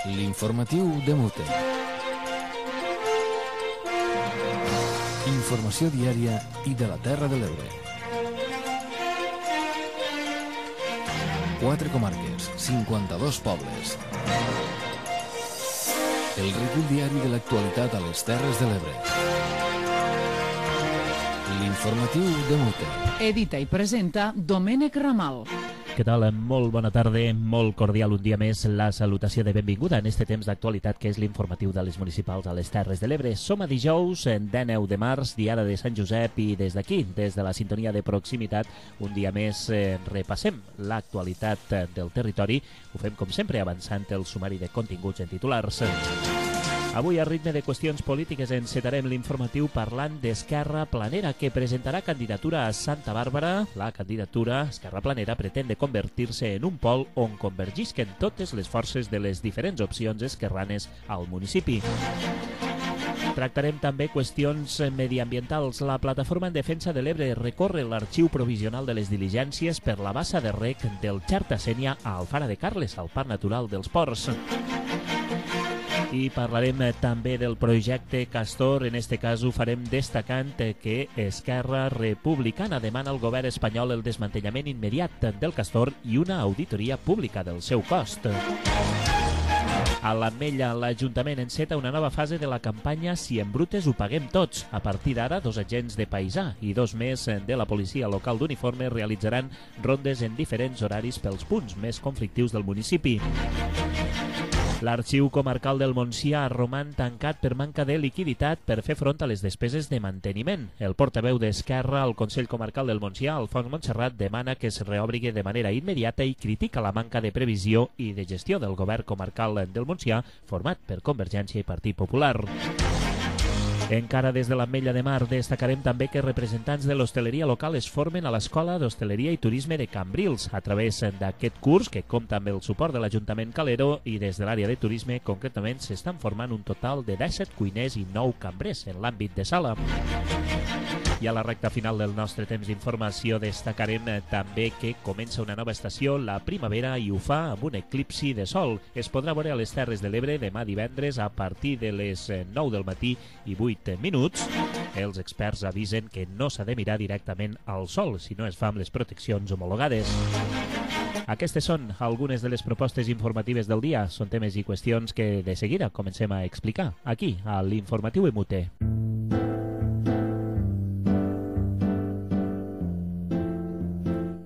L'informatiu de Mute. Informació diària i de la Terra de l'Ebre. 4 comarques, 52 pobles. El recull diari de l'actualitat a les Terres de l'Ebre. L'informatiu de Mute. Edita i presenta Domènec Ramal. Què tal? Molt bona tarda, molt cordial un dia més la salutació de benvinguda en este temps d'actualitat que és l'informatiu de les municipals a les Terres de l'Ebre. Som a dijous, 19 de març, diada de Sant Josep, i des d'aquí, des de la sintonia de proximitat, un dia més repassem l'actualitat del territori. Ho fem com sempre avançant el sumari de continguts en titulars. Avui, a ritme de qüestions polítiques, encetarem l'informatiu parlant d'Esquerra Planera, que presentarà candidatura a Santa Bàrbara. La candidatura Esquerra Planera pretén de convertir-se en un pol on convergisquen totes les forces de les diferents opcions esquerranes al municipi. Tractarem també qüestions mediambientals. La Plataforma en Defensa de l'Ebre recorre l'arxiu provisional de les diligències per la bassa de rec del Xerta-Sénia a Alfara de Carles, al Parc Natural dels Ports. I parlarem també del projecte Castor. En este cas ho farem destacant que Esquerra Republicana demana al govern espanyol el desmantellament immediat del Castor i una auditoria pública del seu cost. A l'Ametlla, l'Ajuntament enceta una nova fase de la campanya Si embrutes ho paguem tots. A partir d'ara, 2 agents de paisà i 2 més de la policia local d'uniforme realitzaran rondes en diferents horaris pels punts més conflictius del municipi. L'Arxiu Comarcal del Montsià roman tancat per manca de liquiditat per fer front a les despeses de manteniment. El portaveu d'Esquerra al Consell Comarcal del Montsià, Alfons Montserrat, demana que es reobrigui de manera immediata i critica la manca de previsió i de gestió del govern comarcal del Montsià, format per Convergència i Partit Popular. Encara des de l'Ametlla de Mar, destacarem també que representants de l'hostaleria local es formen a l'Escola d'Hostaleria i Turisme de Cambrils a través d'aquest curs, que compta amb el suport de l'Ajuntament Calero, i des de l'àrea de turisme concretament s'estan formant un total de 17 cuiners i 9 cambrers en l'àmbit de sala. I a la recta final del nostre temps d'informació destacarem també que comença una nova estació, la primavera, i ho fa amb un eclipsi de sol. Es podrà veure a les Terres de l'Ebre demà divendres a partir de les 9 del matí i 8 minuts. Els experts avisen que no s'ha de mirar directament al sol si no es fa amb les proteccions homologades. Aquestes són algunes de les propostes informatives del dia. Són temes i qüestions que de seguida comencem a explicar aquí, a l'Informatiu Emute.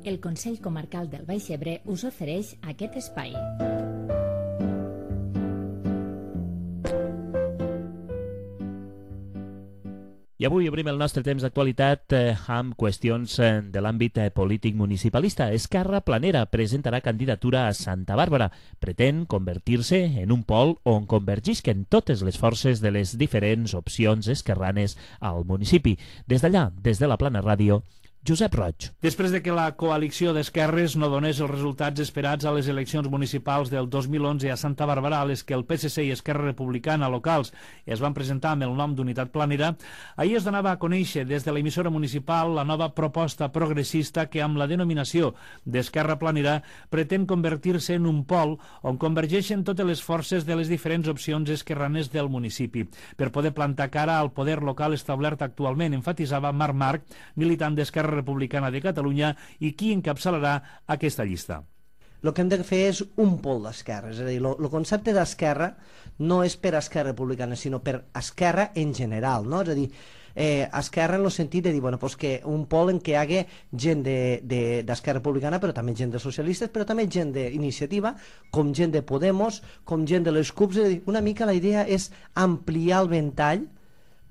El Consell Comarcal del Baix Ebre us ofereix aquest espai. I avui obrim el nostre temps d'actualitat amb qüestions de l'àmbit polític municipalista. Esquerra Planera presentarà candidatura a Santa Bàrbara. Pretén convertir-se en un pol on convergisquen totes les forces de les diferents opcions esquerranes al municipi. Des d'allà, des de la Plana Ràdio, Josep Roig. Després de que la coalició d'esquerres no donés els resultats esperats a les eleccions municipals del 2011 a Santa Bàrbara, a les que el PSC i Esquerra Republicana locals es van presentar amb el nom d'Unitat Planera, ahir es donava a conèixer des de l'emissora municipal la nova proposta progressista que, amb la denominació d'Esquerra Planera, pretén convertir-se en un pol on convergeixen totes les forces de les diferents opcions esquerranes del municipi, per poder plantar cara al poder local establert actualment, enfatitzava Marc Marc, militant d'Esquerra Republicana de Catalunya i qui encapçalarà aquesta llista. El que hem de fer és un pol d'esquerra, és a dir, el concepte d'esquerra no és per Esquerra Republicana, sinó per esquerra en general, no? És a dir, esquerra en el sentit de dir, bueno, pues que un pol en què hi hagi gent d'Esquerra Republicana, però també gent de socialistes, però també gent d'iniciativa, com gent de Podemos, com gent de les CUPs. És a dir, una mica la idea és ampliar el ventall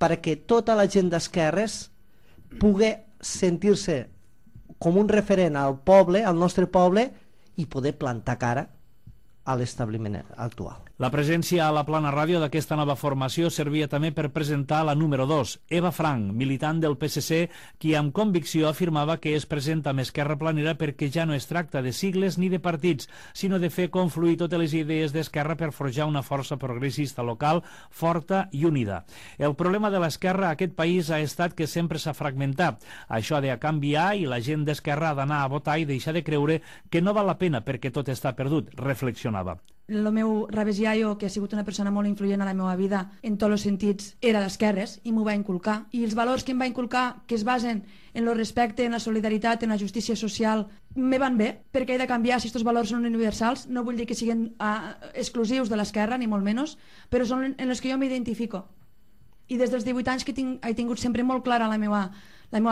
perquè tota la gent d'esquerres pugui sentir-se com un referent al poble, al nostre poble, i poder plantar cara a l'establiment actual. La presència a la Plana Ràdio d'aquesta nova formació servia també per presentar la número 2, Eva Frank, militant del PSC, qui amb convicció afirmava que es presenta amb Esquerra Planera perquè ja no es tracta de sigles ni de partits, sinó de fer confluir totes les idees d'Esquerra per forjar una força progressista local forta i unida. El problema de l'Esquerra a aquest país ha estat que sempre s'ha fragmentat. Això ha de canviar i la gent d'Esquerra ha d'anar a votar i deixar de creure que no val la pena perquè tot està perdut, reflexionava. El meu ravesiaio, que ha sigut una persona molt influent a la meva vida en tots els sentits, era d'esquerres i m'ho va inculcar. I els valors que em va inculcar, que es basen en el respecte, en la solidaritat, en la justícia social, me van bé, perquè he de canviar si aquests valors són universals. No vull dir que siguin exclusius de l'esquerra, ni molt menys, però són en els que jo m'identifico. I des dels 18 anys que he tingut sempre molt clara la meva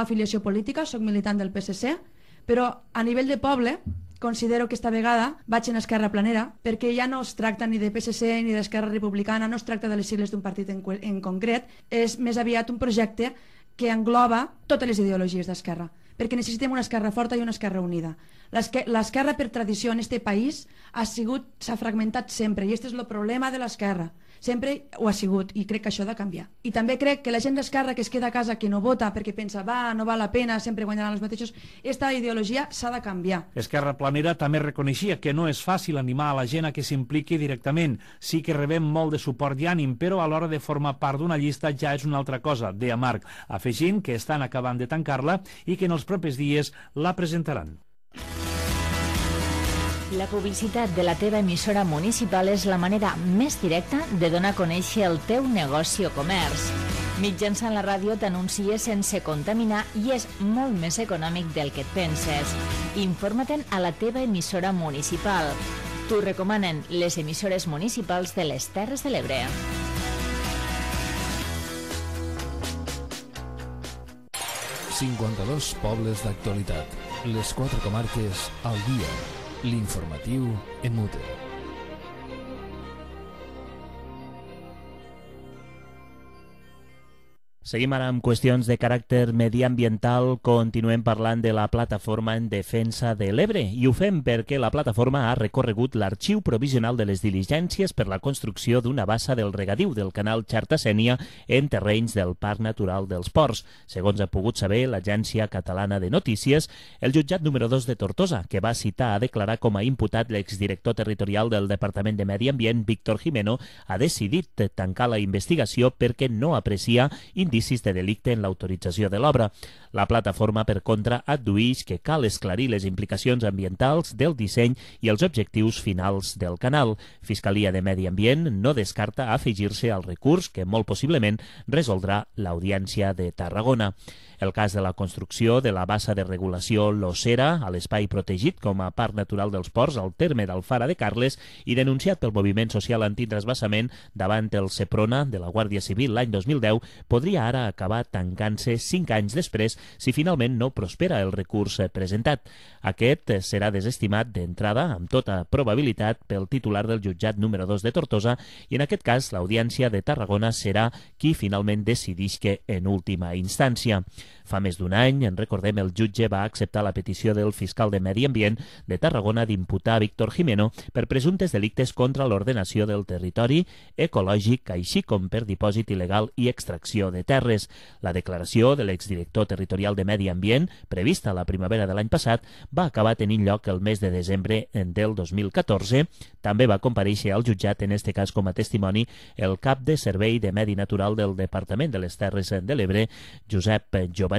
afiliació política, soc militant del PSC, però a nivell de poble considero que esta vegada vaig en Esquerra Planera, perquè ja no es tracta ni de PSC ni d'Esquerra Republicana, no es tracta de les sigles d'un partit en concret, és més aviat un projecte que engloba totes les ideologies d'esquerra, perquè necessitem una esquerra forta i una esquerra unida. L'esquerra, per tradició en aquest país, s'ha fragmentat sempre, i aquest és el problema de l'esquerra. Sempre ho ha sigut, i crec que això ha de canviar. I també crec que la gent d'esquerra que es queda a casa, que no vota perquè pensa, no val la pena, sempre guanyaran els mateixos, aquesta ideologia s'ha de canviar. Esquerra Planera també reconeixia que no és fàcil animar a la gent a que s'impliqui directament. Sí que rebem molt de suport i ànim, però a l'hora de formar part d'una llista ja és una altra cosa, deia Marc, afegint que estan acabant de tancar-la i que en els propers dies la presentaran. La publicitat de la teva emissora municipal és la manera més directa de donar a conèixer el teu negoci o comerç. Mitjançant la ràdio t'anuncies sense contaminar i és molt més econòmic del que et penses. Informa-te'n a la teva emissora municipal. T'ho recomanen les emissores municipals de les Terres de l'Ebre. ...52 pobles d'actualitat. Les 4 comarques al dia. L'informatiu en Mute. Seguim ara amb qüestions de caràcter mediambiental. Continuem parlant de la Plataforma en Defensa de l'Ebre i ho fem perquè la plataforma ha recorregut l'arxiu provisional de les diligències per la construcció d'una bassa del regadiu del canal Xarta-Sénia en terrenys del Parc Natural dels Ports. Segons ha pogut saber l'Agència Catalana de Notícies, el jutjat número 2 de Tortosa, que va citar a declarar com a imputat l'exdirector territorial del Departament de Medi Ambient, Víctor Jimeno, ha decidit tancar la investigació perquè no aprecia indicis de delicte en l'autorització de l'obra. La plataforma, per contra, adduïx que cal esclarir les implicacions ambientals del disseny i els objectius finals del canal. Fiscalia de Medi Ambient no descarta afegir-se al recurs que molt possiblement resoldrà l'Audiència de Tarragona. El cas de la construcció de la bassa de regulació L'Ossera a l'espai protegit com a Parc Natural dels Ports al terme d'Alfara de Carles i denunciat pel moviment social antitransvasament davant el Seprona de la Guàrdia Civil l'any 2010 podria ara acabar tancant-se 5 anys després si finalment no prospera el recurs presentat. Aquest serà desestimat d'entrada amb tota probabilitat pel titular del jutjat número 2 de Tortosa i en aquest cas l'Audiència de Tarragona serà qui finalment decidisca en última instància. Fa més d'un any, en recordem, el jutge va acceptar la petició del fiscal de Medi Ambient de Tarragona d'imputar Víctor Jimeno per presumptes delictes contra l'ordenació del territori ecològic, així com per dipòsit il·legal i extracció de terres. La declaració de l'exdirector territorial de Medi Ambient, prevista la primavera de l'any passat, va acabar tenint lloc el mes de desembre del 2014. També va comparèixer al jutjat, en este cas com a testimoni, el cap de Servei de Medi Natural del Departament de les Terres de l'Ebre, Josep Jovaní.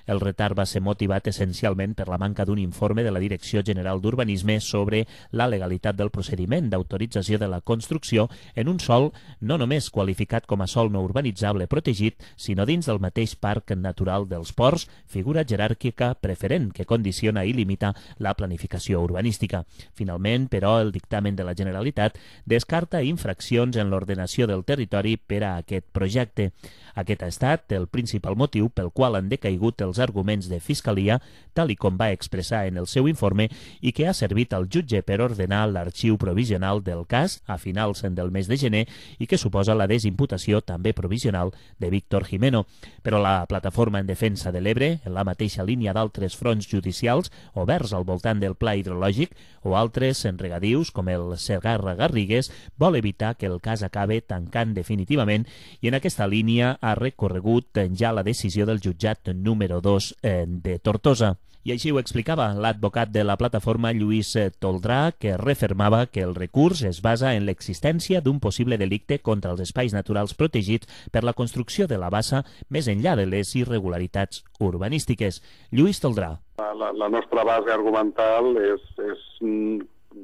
El retard va ser motivat essencialment per la manca d'un informe de la Direcció General d'Urbanisme sobre la legalitat del procediment d'autorització de la construcció en un sòl no només qualificat com a sòl no urbanitzable protegit, sinó dins del mateix Parc Natural dels Ports, figura jeràrquica preferent que condiciona i limita la planificació urbanística. Finalment, però, el dictamen de la Generalitat descarta infraccions en l'ordenació del territori per a aquest projecte. Aquest ha estat el principal motiu pel qual han decaigut els arguments de Fiscalia, tal i com va expressar en el seu informe, i que ha servit al jutge per ordenar l'arxiu provisional del cas a finals del mes de gener i que suposa la desimputació també provisional de Víctor Jimeno. Però la Plataforma en Defensa de l'Ebre, en la mateixa línia d'altres fronts judicials oberts al voltant del pla hidrològic o altres en regadius com el Segarra-Garrigues, vol evitar que el cas acabe tancant definitivament i en aquesta línia ha recorregut ja la decisió del jutjat número 2 de Tortosa. I així ho explicava l'advocat de la plataforma, Lluís Toldrà, que refermava que el recurs es basa en l'existència d'un possible delicte contra els espais naturals protegits per la construcció de la bassa més enllà de les irregularitats urbanístiques. Lluís Toldrà. La nostra base argumental és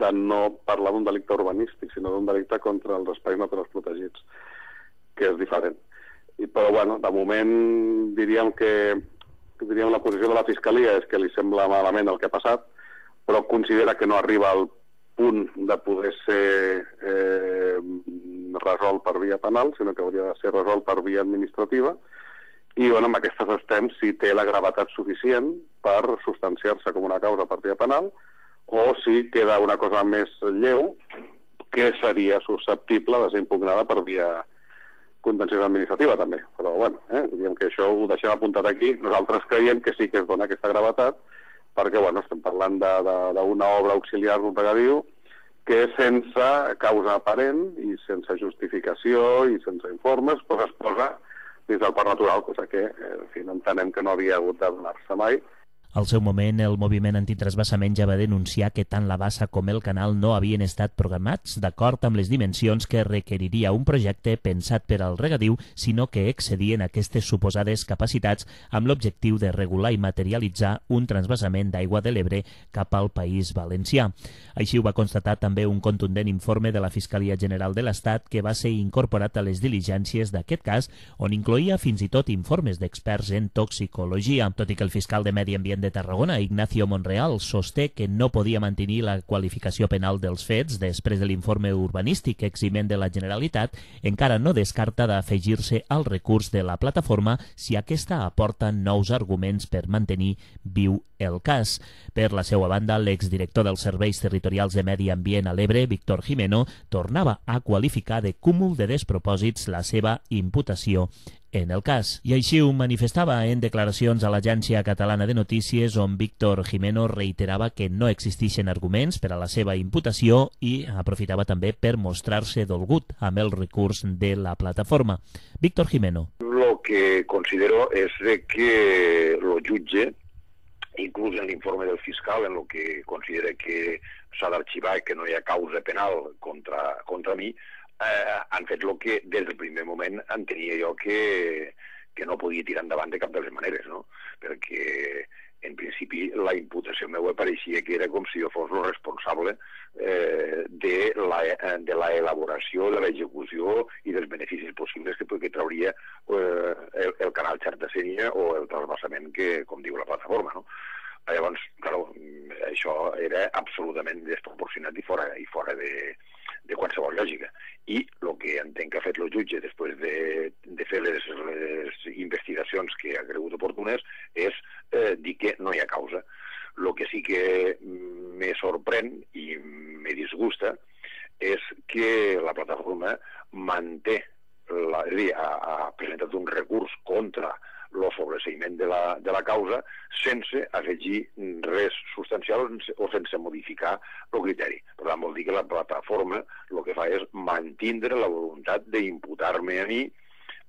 de no parlar d'un delicte urbanístic, sinó d'un delicte contra els espais naturals protegits, que és diferent. Però, bueno, de moment diríem la posició de la Fiscalia és que li sembla malament el que ha passat, però considera que no arriba al punt de poder ser resolt per via penal, sinó que hauria de ser resolt per via administrativa, i bueno, amb aquestes estem si té la gravetat suficient per substanciar-se com una causa per via penal o si queda una cosa més lleu que seria susceptible de ser impugnada per via contenciosa administrativa també. Però bueno, diguem que això ho deixem apuntat aquí. Nosaltres creiem que sí que es dona aquesta gravetat perquè bueno, estem parlant d'una obra auxiliar d'un regadiu que sense causa aparent i sense justificació i sense informes pues es posa dins del parc natural, cosa que en fi, entenem que no havia hagut de donar-se mai. Al seu moment, el moviment antitransvasament ja va denunciar que tant la bassa com el canal no havien estat programats d'acord amb les dimensions que requeriria un projecte pensat per al regadiu, sinó que excedien aquestes suposades capacitats amb l'objectiu de regular i materialitzar un transvasament d'aigua de l'Ebre cap al País Valencià. Així ho va constatar també un contundent informe de la Fiscalia General de l'Estat que va ser incorporat a les diligències d'aquest cas, on incloïa fins i tot informes d'experts en toxicologia. Tot i que el fiscal de Medi Ambient de Tarragona, Ignacio Monreal, sosté que no podia mantenir la qualificació penal dels fets després de l'informe urbanístic eximent de la Generalitat, encara no descarta d'afegir-se al recurs de la plataforma si aquesta aporta nous arguments per mantenir viu el cas. Per la seva banda, l'exdirector dels Serveis Territorials de Medi Ambient a l'Ebre, Víctor Jimeno, tornava a qualificar de cúmul de despropòsits la seva imputació en el cas. I així ho manifestava en declaracions a l'Agència Catalana de Notícies, on Víctor Jimeno reiterava que no existeixen arguments per a la seva imputació i aprofitava també per mostrar-se dolgut amb el recurs de la plataforma. Víctor Jimeno. Lo que considero es de que lo jutge, inclús en l'informe del fiscal, en lo que considera que s'ha d'arxivar i que no hi ha causa penal contra mi, han fet el que des del primer moment entenia jo que no podia tirar endavant de cap de les maneres, no? Perquè en principi la imputació meva pareixia que era com si jo fos el responsable de la elaboració, de l'execució i dels beneficis possibles que trauria el canal Xarta-Sénia o el transvasament que, com diu la plataforma, no? Llavors, clar, això era absolutament desproporcionat i fora de qualsevol lògica. I el que entenc que ha fet el jutge després de fer les investigacions que ha cregut oportunes és dir que no hi ha causa. El que sí que me sorprèn i me disgusta és que la plataforma manté, és a dir, ha presentat un recurs contra el sobreseïment de la causa sense afegir res substancial o sense modificar el criteri. Per tant, vol dir que la plataforma el que fa és mantindre la voluntat d'imputar-me a mi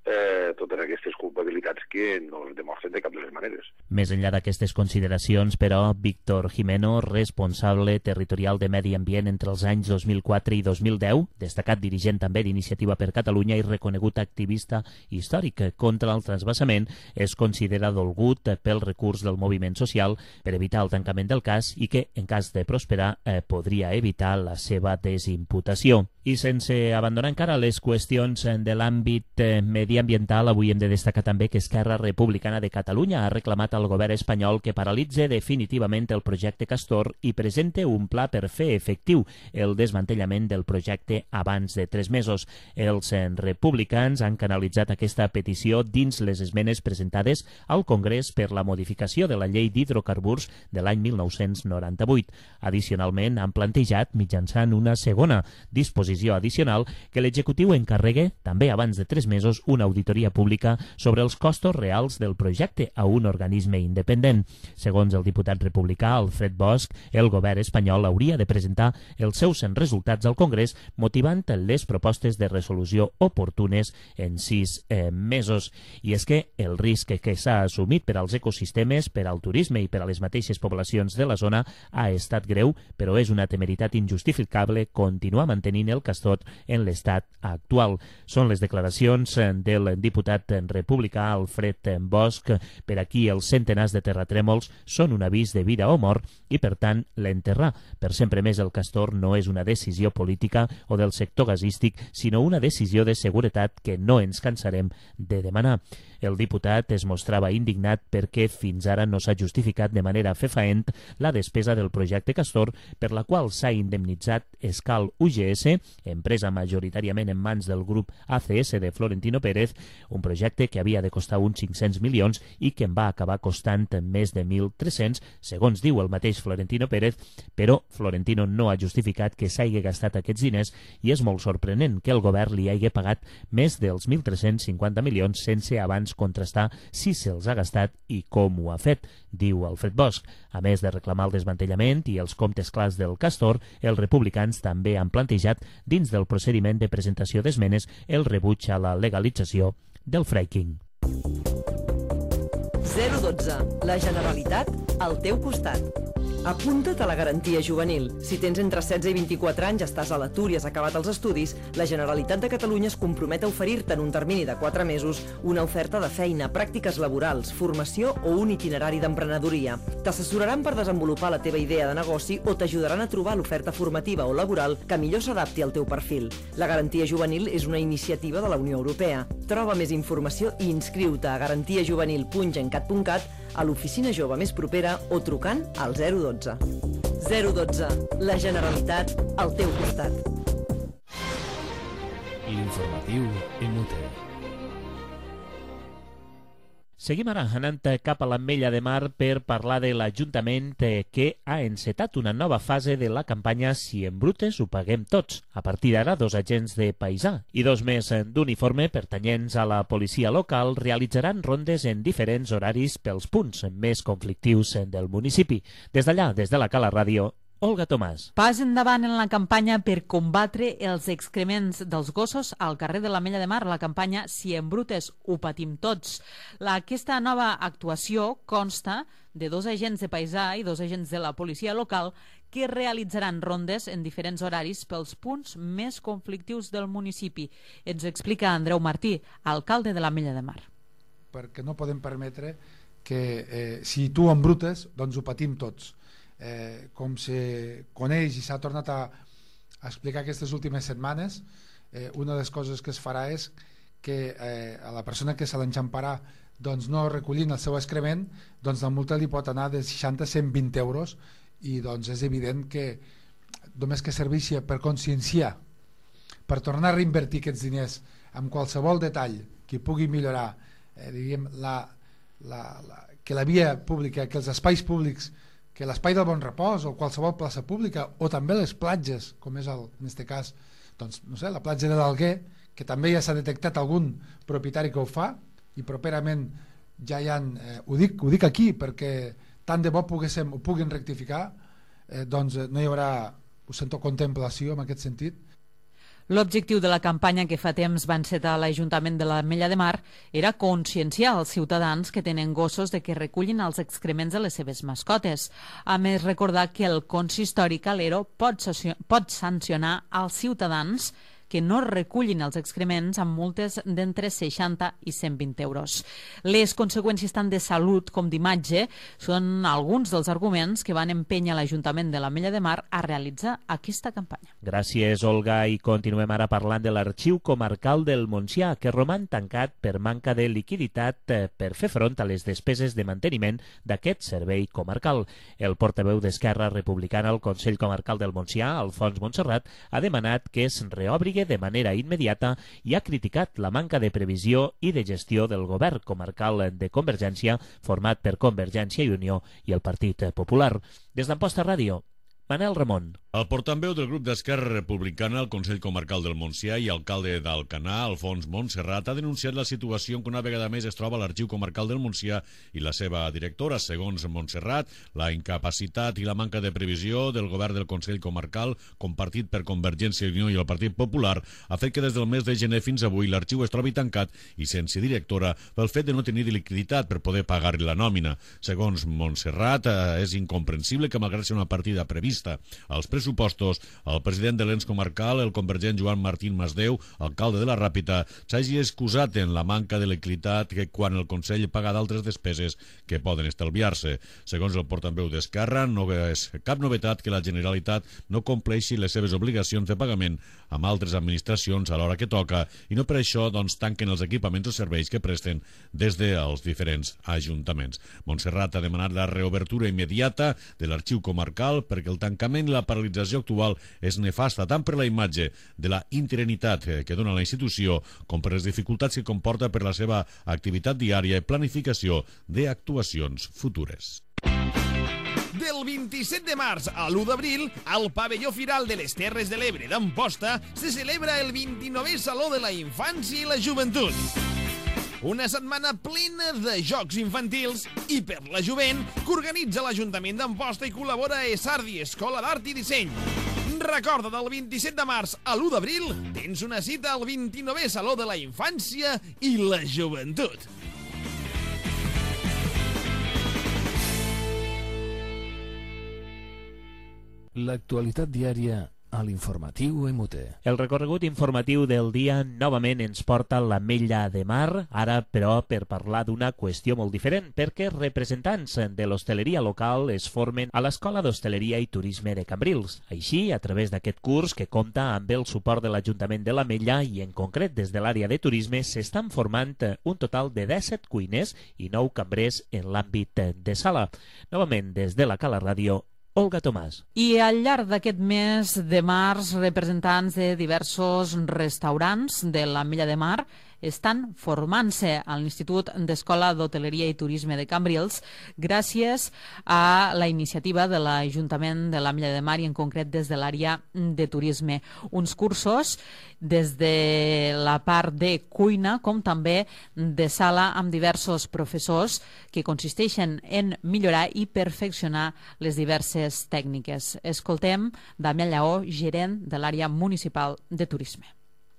totes aquestes culpabilitats que no es demostren de cap de les maneres. Més enllà d'aquestes consideracions, però, Víctor Jimeno, responsable territorial de Medi Ambient entre els anys 2004 i 2010, destacat dirigent també d'Iniciativa per Catalunya i reconegut activista històric contra el transvasament, es considera dolgut pel recurs del moviment social per evitar el tancament del cas i que, en cas de prosperar, podria evitar la seva desimputació. I sense abandonar encara les qüestions de l'àmbit mediambiental, avui hem de destacar també que Esquerra Republicana de Catalunya ha reclamat al govern espanyol que paralitze definitivament el projecte Castor i presente un pla per fer efectiu el desmantellament del projecte abans de 3 mesos. Els republicans han canalitzat aquesta petició dins les esmenes presentades al Congrés per la modificació de la llei d'hidrocarburs de l'any 1998. Addicionalment, han plantejat, mitjançant una segona disposició addicional, que l'executiu encarregue, també abans de 3 mesos, una auditoria pública sobre els costos reals del projecte a un organisme independent. Segons el diputat republicà Alfred Bosch, el govern espanyol hauria de presentar els seus resultats al Congrés, motivant les propostes de resolució oportunes en 6 mesos. I és que el risc que s'ha assumit per als ecosistemes, per al turisme i per a les mateixes poblacions de la zona ha estat greu, però és una temeritat injustificable continuar mantenint el castor en l'estat actual. Són les declaracions del diputat republicà Alfred Bosch. Per aquí els centenars de terratrèmols són un avís de vida o mort i, per tant, l'enterrar. Per sempre més el castor no és una decisió política o del sector gasístic, sinó una decisió de seguretat que no ens cansarem de demanar. El diputat es mostrava indignat perquè fins ara no s'ha justificat de manera fefaent la despesa del projecte Castor, per la qual s'ha indemnitzat Escal UGS, empresa majoritàriament en mans del grup ACS de Florentino Pérez, un projecte que havia de costar uns 500 milions i que en va acabar costant més de 1.300, segons diu el mateix Florentino Pérez, però Florentino no ha justificat que s'hagi gastat aquests diners i és molt sorprenent que el govern li hagi pagat més dels 1.350 milions sense abans contrastar si se'ls ha gastat i com ho ha fet, diu Alfred Bosch. A més de reclamar el desmantellament i els comptes clars del castor, els republicans també han plantejat, dins del procediment de presentació d'esmenes, el rebuig a la legalització del fracking. 012. La Generalitat al teu costat. Apunta't a la garantia juvenil. Si tens entre 16 i 24 anys, estàs a l'atur i has acabat els estudis, la Generalitat de Catalunya es compromet a oferir-te en un termini de 4 mesos una oferta de feina, pràctiques laborals, formació o un itinerari d'emprenedoria. T'assessoraran per desenvolupar la teva idea de negoci o t'ajudaran a trobar l'oferta formativa o laboral que millor s'adapti al teu perfil. La garantia juvenil és una iniciativa de la Unió Europea. Troba més informació i inscriu-te a garantiajuvenil.gencat.cat, a l'oficina jove més propera o trucant al 012. 012. La Generalitat al teu costat. L'informatiu inútil. Seguim ara anant cap a l'Ametlla de Mar per parlar de l'Ajuntament que ha encetat una nova fase de la campanya Si en brutes ho paguem tots. A partir d'ara, 2 agents de paisà i 2 més d'uniforme pertanyents a la policia local realitzaran rondes en diferents horaris pels punts més conflictius del municipi. Des d'allà, des de la Cala Ràdio, Olga Tomàs. Pas endavant en la campanya per combatre els excrements dels gossos al carrer de l'Ametlla de Mar, la campanya Si en brutes ho patim tots. Aquesta nova actuació consta de 2 agents de paisà i 2 agents de la policia local que realitzaran rondes en diferents horaris pels punts més conflictius del municipi. Ens explica Andreu Martí, alcalde de l'Ametlla de Mar. Perquè no podem permetre que si tu embrutes, doncs ho patim tots. Com se coneix i s'ha tornat a explicar aquestes últimes setmanes, una de les coses que es farà és que a la persona que se l'enxamparà doncs no recollint el seu excrement, doncs la multa li pot anar de 60 a 120 euros i doncs és evident que només que serveixi per conscienciar, per tornar a reinvertir aquests diners amb qualsevol detall que pugui millorar diríem, que la via pública, que els espais públics, que l'espai del Bon Repòs o qualsevol plaça pública o també les platges, com és en aquest cas doncs, no sé, la platja de l'Alguer, que també ja s'ha detectat algun propietari que ho fa i properament ja hi ha, ho dic aquí perquè tant de bo ho puguin rectificar, doncs no hi haurà, ho sento, contemplació en aquest sentit. L'objectiu de la campanya que fa temps va encetar l'Ajuntament de l'Ametlla de Mar era conscienciar els ciutadans que tenen gossos de que recullin els excrements de les seves mascotes. A més, recordar que el consistori Calero pot sancionar als ciutadans que no recullin els excrements amb multes d'entre 60 i 120 euros. Les conseqüències tant de salut com d'imatge són alguns dels arguments que van empènyer l'Ajuntament de l'Ametlla de Mar a realitzar aquesta campanya. Gràcies, Olga, i continuem ara parlant de l'Arxiu Comarcal del Montsià, que roman tancat per manca de liquiditat per fer front a les despeses de manteniment d'aquest servei comarcal. El portaveu d'Esquerra Republicana al Consell Comarcal del Montsià, Alfons Montserrat, ha demanat que es reobri de manera immediata i ha criticat la manca de previsió i de gestió del govern comarcal de Convergència format per Convergència i Unió i el Partit Popular. Des d'Amposta Ràdio, Manel Ramon. El portaveu del grup d'Esquerra Republicana al Consell Comarcal del Montsià i alcalde d'Alcanar, Alfons Montserrat, ha denunciat la situació en què una vegada més es troba l'Arxiu Comarcal del Montsià i la seva directora. Segons Montserrat, la incapacitat i la manca de previsió del govern del Consell Comarcal, compartit per Convergència i Unió i el Partit Popular, ha fet que des del mes de gener fins avui l'arxiu es trobi tancat i sense directora pel fet de no tenir liquiditat per poder pagar-li la nòmina. Segons Montserrat, és incomprensible que malgrat ser una partida prevista als pressupostos pressupostos, el president de l'ens comarcal, el convergent Joan Martín Masdeu, alcalde de la Ràpita, s'hagi excusat en la manca de liquiditat que quan el Consell paga d'altres despeses que poden estalviar-se. Segons el portaveu d'Esquerra, no és cap novetat que la Generalitat no compleixi les seves obligacions de pagament amb altres administracions a l'hora que toca i no per això tanquen els equipaments o serveis que presten des dels diferents ajuntaments. Montserrat ha demanat la reobertura immediata de l'arxiu comarcal perquè el tancament i la paralització actual és nefasta tant per la imatge de la interinitat que dona la institució com per les dificultats que comporta per la seva activitat diària i planificació d'actuacions futures. Del 27 de març a l'1 d'abril, al pavelló Firal de les Terres de l'Ebre d'Amposta se celebra el 29è Saló de la Infància i la Joventut. Una setmana plena de jocs infantils i per la jovent que organitza l'Ajuntament d'Amposta i col·labora a Esardi, Escola d'Art i Disseny. Recorda, del 27 de març a l'1 d'abril tens una cita al 29è Saló de la Infància i la Joventut. L'actualitat diària a l'informatiu MUT. El recorregut informatiu del dia novament ens porta a l'Ametlla de Mar, ara però per parlar d'una qüestió molt diferent, perquè representants de l'hostaleria local es formen a l'Escola d'Hostaleria i Turisme de Cambrils. Així, a través d'aquest curs, que compta amb el suport de l'Ajuntament de l'Ametlla i en concret des de l'àrea de turisme, s'estan formant un total de 17 cuiners i 9 cambrers en l'àmbit de sala. Novament, des de la Cala Ràdio, Olga Tomàs. I al llarg d'aquest mes de març, representants de diversos restaurants de l'Ametlla de Mar estan formant-se a l'Institut d'Escola d'Hoteleria i Turisme de Cambrils gràcies a la iniciativa de l'Ajuntament de l'Ametlla de Mar i en concret des de l'àrea de turisme. Uns cursos des de la part de cuina com també de sala amb diversos professors que consisteixen en millorar i perfeccionar les diverses tècniques. Escoltem Damià Lleó, gerent de l'àrea municipal de turisme.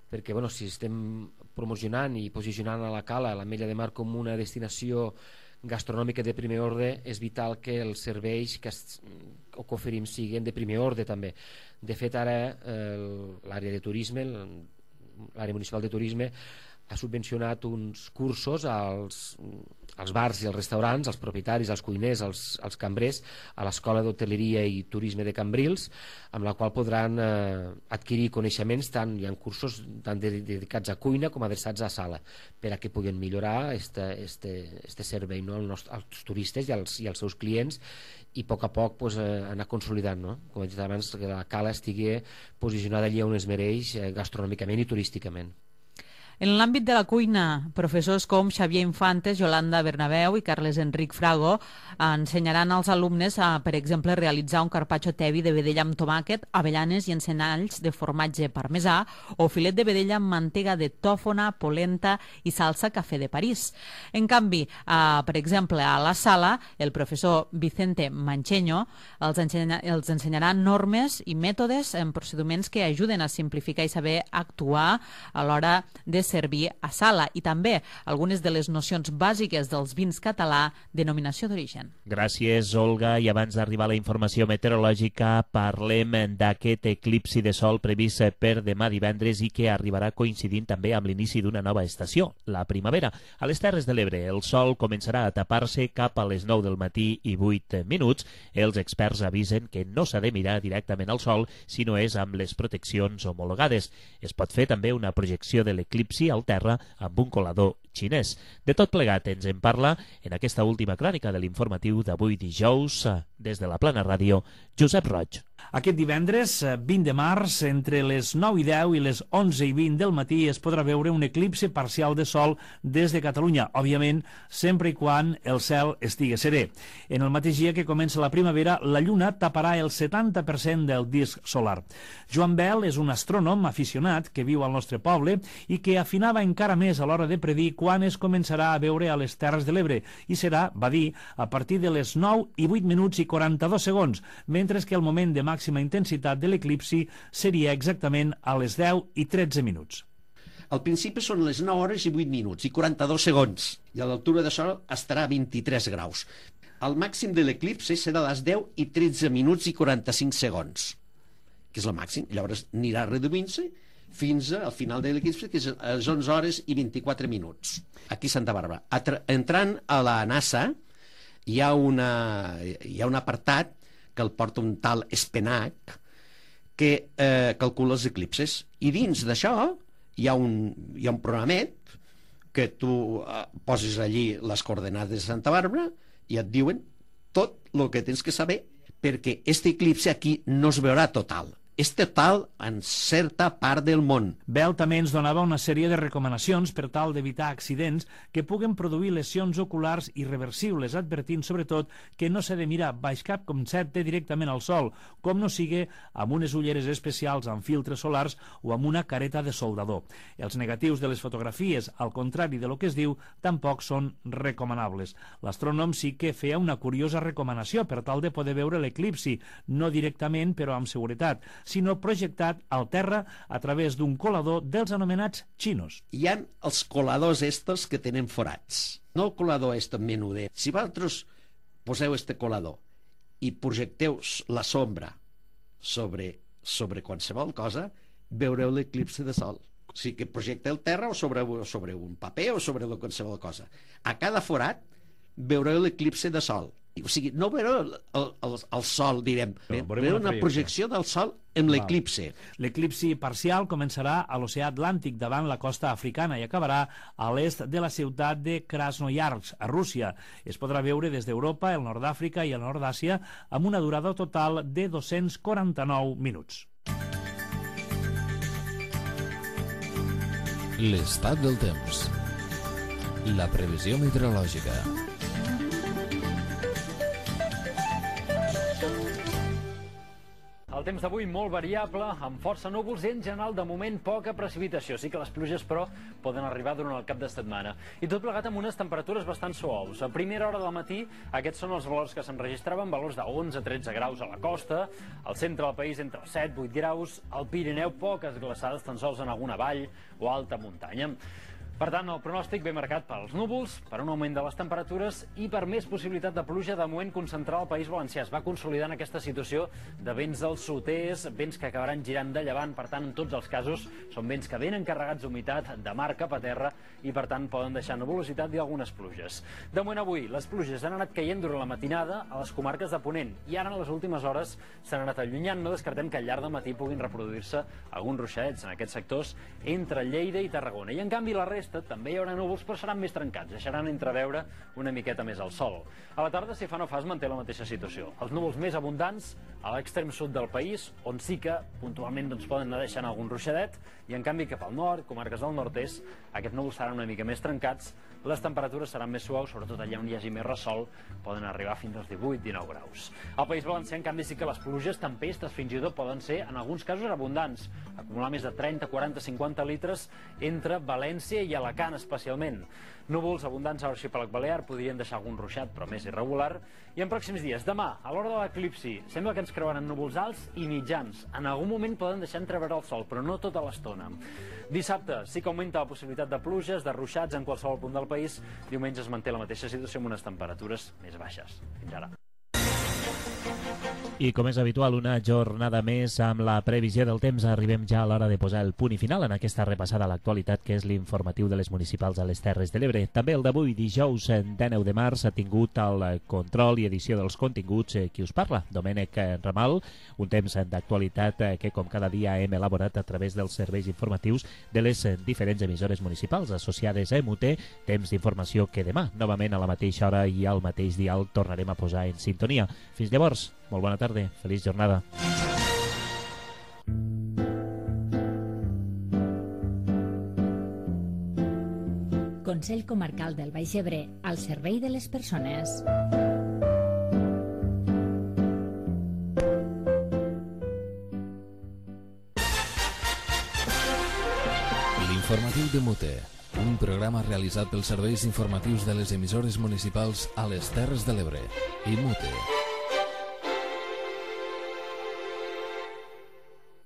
Perquè si estem promocionant i posicionant a la Cala, a l'Ametlla de Mar, com una destinació gastronòmica de primer ordre, és vital que els serveis que oferim siguin de primer ordre també. De fet, ara l'àrea de turisme, l'àrea municipal de turisme, ha subvencionat uns cursos als bars i als restaurants, als propietaris, als cuiners, als cambrers, a l'Escola d'Hoteleria i Turisme de Cambrils, amb la qual podran adquirir coneixements, hi ha cursos tant dedicats a cuina com adreçats a sala, per a que puguin millorar este servei als turistes i als seus clients i a poc anar consolidant, com he dit abans, que la Cala estigui posicionada allí on es mereix gastronòmicament i turísticament. En l'àmbit de la cuina, professors com Xavier Infantes, Yolanda Bernabeu i Carles Enric Frago ensenyaran als alumnes a, per exemple, realitzar un carpaccio tevi de vedella amb tomàquet, avellanes i encenalls de formatge parmesà o filet de vedella amb mantega de tòfona, polenta i salsa cafè de París. En canvi, per exemple, a la sala, el professor Vicente Mancheño els ensenyarà normes i mètodes en procediments que ajuden a simplificar i saber actuar a l'hora de servir a sala i també algunes de les nocions bàsiques dels vins català denominació d'origen. Gràcies, Olga. I abans d'arribar a la informació meteorològica, parlem d'aquest eclipsi de sol previst per demà divendres i que arribarà coincidint també amb l'inici d'una nova estació, la primavera. A les Terres de l'Ebre, el sol començarà a tapar-se cap a les 9 del matí i 8 minuts. Els experts avisen que no s'ha de mirar directament al sol si no és amb les proteccions homologades. Es pot fer també una projecció de l'eclipsi al terra amb un colador xinès. De tot plegat ens en parla en aquesta última crònica de l'informatiu d'avui dijous des de la Plana Ràdio, Josep Roig. Aquest divendres, 20 de març, entre les 9 i 10 i les 11 i 20 del matí es podrà veure un eclipsi parcial de sol des de Catalunya, òbviament, sempre i quan el cel estigui serè. En el mateix dia que comença la primavera, la lluna taparà el 70% del disc solar. Joan Bel és un astrònom aficionat que viu al nostre poble i que afinava encara més a l'hora de predir quan es començarà a veure a les Terres de l'Ebre, i serà, va dir, a partir de les 9 i 8 minuts i 42 segons, mentre que el moment de màxima intensitat de l'eclipsi seria exactament a les 10 i 13 minuts. Al principi són les 9 hores i 8 minuts i 42 segons, i a l'altura de sol estarà a 23 graus. El màxim de l'eclipsi serà a les 10 i 13 minuts i 45 segons. que és el màxim. Llavors anirà reduint-se fins al final de l'eclipsi, que és a les 11 hores i 24 minuts, aquí a Santa Bàrbara. Entrant a la NASA, hi ha un apartat que el porta un tal Spenac, que calcula els eclipses. I dins d'això hi ha un programet que tu poses allí les coordenades de Santa Bàrbara i et diuen tot el que tens que saber, perquè aquest eclipsi aquí no es veurà total. És total en certa part del món. Bell també ens donava una sèrie de recomanacions per tal d'evitar accidents que puguen produir lesions oculars irreversibles, advertint sobretot que no s'ha de mirar baix cap concepte directament al sol, com no sigui amb unes ulleres especials amb filtres solars o amb una careta de soldador. Els negatius de les fotografies, al contrari de lo que es diu, tampoc són recomanables. L'astrònom sí que feia una curiosa recomanació per tal de poder veure l'eclipsi, no directament però amb seguretat, sinó projectat al terra a través d'un colador dels anomenats xinos. Hi ha els coladors estos que tenen forats. No el colador menuder. Si vosaltres poseu este colador i projecteu la sombra sobre qualsevol cosa, veureu l'eclipsi de sol. O sigui que projecteu terra o sobre un paper o sobre qualsevol cosa. A cada forat veureu l'eclipsi de sol. O sigui, no veureu el sol, direm, veureu una projecció del sol amb l'eclipsi. L'eclipsi parcial començarà a l'oceà Atlàntic davant la costa africana i acabarà a l'est de la ciutat de Krasnoyarsk, a Rússia. Es podrà veure des d'Europa, el nord d'Àfrica i el nord d'Àsia amb una durada total de 249 minuts. L'estat del temps. La previsió meteorològica. El temps d'avui molt variable, amb força núvols i en general de moment poca precipitació. Sí que les pluges, però, poden arribar durant el cap de setmana. I tot plegat amb unes temperatures bastant suaus. A primera hora del matí, aquests són els valors que s'enregistraven, valors de 11-13 graus a la costa, al centre del país entre 7-8 graus, al Pirineu poques glaçades, tan sols en alguna vall o alta muntanya. Per tant, el pronòstic ve marcat pels núvols, per un augment de les temperatures i per més possibilitat de pluja de moment concentrar al País Valencià. Es va consolidant aquesta situació de vents del sud-est, vents que acabaran girant de llevant, per tant, en tots els casos són vents que venen carregats d'humitat de mar cap a terra i, per tant, poden deixar nuvolositat i algunes pluges. De moment avui, les pluges han anat caient durant la matinada a les comarques de Ponent i ara, en les últimes hores, s'han anat allunyant. No descartem que al llarg del matí puguin reproduir-se alguns ruixadets en aquests sectors entre Lleida i Tarragona. I, en canvi, la resta també hi haurà núvols, però seran més trencats, deixaran entreveure una miqueta més el sol. A la tarda, si fa no fa, es manté la mateixa situació. Els núvols més abundants a l'extrem sud del país, on sí que puntualment poden anar deixant algun ruixadet, i en canvi cap al nord, comarques del nord-est, aquests núvols seran una mica més trencats, les temperatures seran més suaus, sobretot allà on hi hagi més ressol, poden arribar fins als 18-19 graus. Al País Valencià, en canvi, sí que les pluges, tempestes, fins i tot poden ser, en alguns casos, abundants, acumular més de 30, 40, 50 litres entre València i Alacant, especialment. Núvols abundants a l'arxipèlag balear podrien deixar algun ruixat, però més irregular. I en pròxims dies, demà, a l'hora de l'eclipsi, sembla que ens creuaran núvols alts i mitjans. En algun moment poden deixar entreveure el sol, però no tota l'estona. Dissabte sí que augmenta la possibilitat de pluges, de ruixats en qualsevol punt del país. Diumenge es manté la mateixa situació amb unes temperatures més baixes. Fins ara. I com és habitual, una jornada més amb la previsió del temps. Arribem ja a l'hora de posar el punt i final en aquesta repassada a l'actualitat, que és l'informatiu de les municipals a les Terres de l'Ebre. També el d'avui, dijous 19 de març, ha tingut el control i edició dels continguts qui us parla, Domènec Ramal. Un temps d'actualitat que, com cada dia, hem elaborat a través dels serveis informatius de les diferents emissores municipals associades a MUT. Temps d'informació que demà, novament a la mateixa hora i al mateix dial, tornarem a posar en sintonia. Fins llavors, molt bona tarda, feliç jornada. Consell Comarcal del Baix Ebre, al servei de les persones. L'informatiu de MUT, un programa realitzat pels serveis informatius de les emissores municipals a les Terres de l'Ebre i MUT.